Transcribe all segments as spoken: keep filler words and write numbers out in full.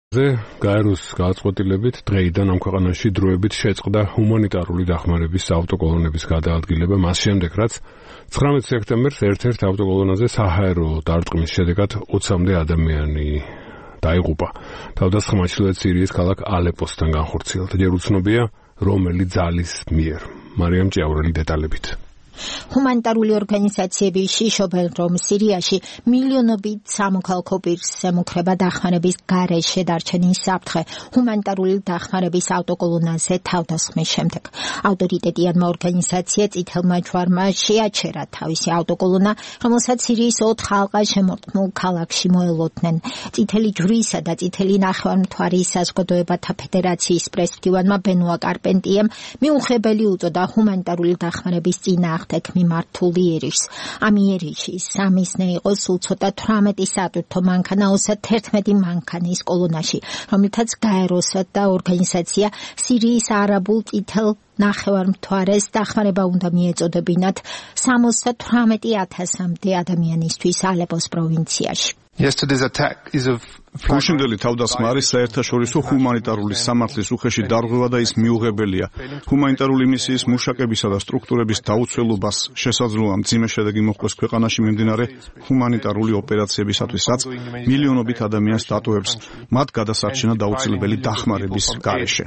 გაეროს გადაწყვეტილებით დღეიდან ამ ქვეყანაში დროებით შეწყდა ჰუმანიტარული დახმარების ავტოკოლონების გადაადგილება მას შემდეგ, რაც ცხრამეტ სექტემბერს ერთ-ერთ ავტოკოლონაზე საჰაერო დარტყმის შედეგად ოცამდე ადამიანი დაიღუპა. თავდასხმა ჩრდილოეთ სირიის ქალაქ ალეპოსთან განხორციელდა. ჯერ უცნობია, რომელი ძალის მიერ. მარიამ ჭიაურელი დეტალებით. ჰუმანიტარული ორგანიზაციები შიშობენ, რომ სირიაში მილიონობით სამოქალაქო პირს ემუქრება დახმარების გარეშე დარჩენის საფრთხე ჰუმანიტარული დახმარების ავტოკოლონაზე თავდასხმის შემდეგ. ავტორიტეტიანმა ორგანიზაცია წითელმა ჯვარმა შეაჩერა თავისი ავტოკოლონა, რომელსაც სირიის ოთხ ალყა შემორტყმულ ქალაქში მოელოდნენ. წითელი ჯვრისა და წითელი ნახევარმთვარის საზოგადოებათა ფედერაციის პრეზიდენტმა ბენუა კარპენტიემ მიუღებელი უწოდა ჰუმანიტარული დახმარების წინააღმდეგ მიმართული იერიშს. ამ იერიში სამიზნე იყო სულ ცოტა თვრამეტი სატვირთო მანქანა ოცდაერთმეტი მანქანის კოლონაში, რომლითაც გაეროსა და ორგანიზაცია სირიის არაბულ წითელ ნახევარმთვარეს დახმარება უნდა მიეწოდებინათ სამოცდათვრამეტი ათასამდე ადამიანისთვის ალეპოს პროვინციაში. გუშინდელი თავდასხმა არის საერთაშორისო ჰუმანიტარული სამართლის უხეში დარღვევა და ის მიუღებელია. ჰუმანიტარული მისიის მუშაკებისა და სტრუქტურების დაუცველობას შესაძლოა მძიმე შედეგი მოჰყოს ქვეყანაში მიმდინარე ჰუმანიტარული ოპერაციებისათვის, რაც მილიონობით ადამიანს დატოვებს მათ გადასარჩენა დაუცილებელი დახმარების გარეშე.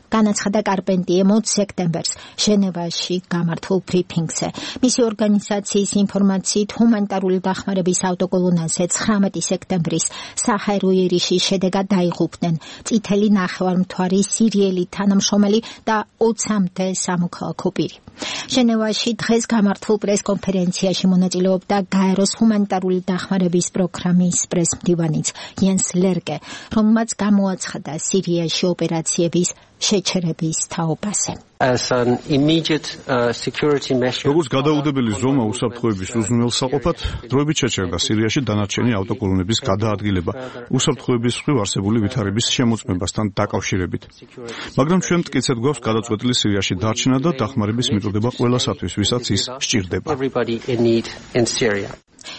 განაცხადა კარპენტიემ ოც სექტემბერს ჟენევაში გამართულ ბრიფინგზე. მისი ორგანიზაციის ინფორმაციით ჰუმანიტარული დახმარების ავტოკოლონაზე ცხრამეტი სექტემბრის საჰაერო იერიშის შედეგად დაიღუპნენ წითელი ნახევარმთვარი სირიელი თანამშრომელი და ოცამდე სამოქალაქო პირი. ჟენევაში დღეს გამართულ პრესკონფერენციაში მონაწილეობდა გაეროს ჰუმანიტარული დახმარების პროგრამის პრესმდივანიც იენს ლერკე, რომელმაც გამოაცხადა სირიაში ოპერაციების შეჩერების თაობაზე. როგორც გადაუდებელი ზომა უსაფრთხოების უზრუნველსაყოფად, დროებით შეჩერდა სირიაში დანარჩენი ავტოკოლონების გადაადგილება უსაფრთხოების მხრივ არსებული ვითარების შემოწმებასთან დაკავშირებით. მაგრამ ჩვენ მტკიცედ გვაქვს გადაწყვეტილი სირიაში დარჩენა და დახმარების მიწოდება ყველასათვის, ვისაც ის სჭირდება.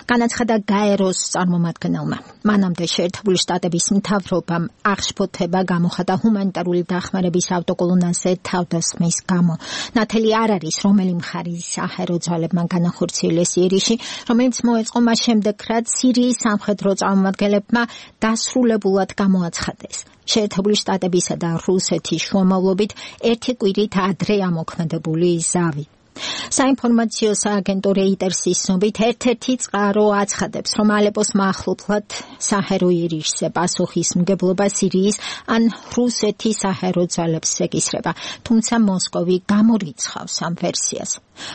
განაცხადა გაეროს წარმომადგენელმა. მანამდე შეერთებული შტატების მთავრობამ აღშფოთება გამოხატა ჰუმანიტარული დახმარების ავტოკოლონაზე თავდასხმის გამო. ნათელი არ არის, რომელი მხარი საჰაერო ძალებმა განახორციელეს იერიში, რომელიც მოეწყო მას შემდეგ, რაც სირიის სამხედრო წარმომადგენლებმა დასრულებულად გამოაცხადეს. შეერთებული შტატებისა და რუსეთის შუამავლობით ერთი კვირით ადრე ამოქმედებული ზავი. საინფორმაციო სააგენტო რეიტერსის ცნობით ერთ-ერთი წყარო აცხადებს, რომ ალეპოს მახლობლად საჰაერო იერიშზე პასუხისმგებლობა სირიის ან რუსეთის საჰაერო ძალებს ეკისრება, თუმცა მოსკოვი გამორიცხავს ამ ვერსიას.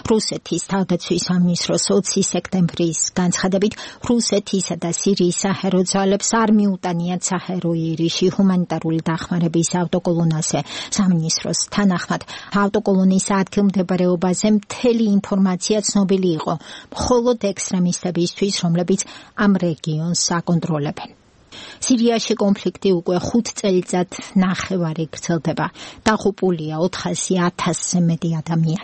რუსეთის თავდაცვის სამინისტროს ოცი სექტემბრის განცხადებით, რუსეთისა და სირიის საჰაერო ძალებს არ მიუტანიათ საჰაერო იერიში ჰუმანიტარული დახმარების ავტოკოლონაზე. სამინისტროს თანახმად, ავტოკოლონის ადგილმდებარეობაზე მთელი ინფორმაცია ცნობილი იყო, მხოლოდ ექსტრემისტებისთვის, რომლებიც ამ რეგიონს აკონტროლებენ. სირიაში კონფლიქტი უკვე ხუთ წელიწად ნახევარი გრძელდება. დაღუპულია ოთხასი ათასზე მეტი ადამიანი.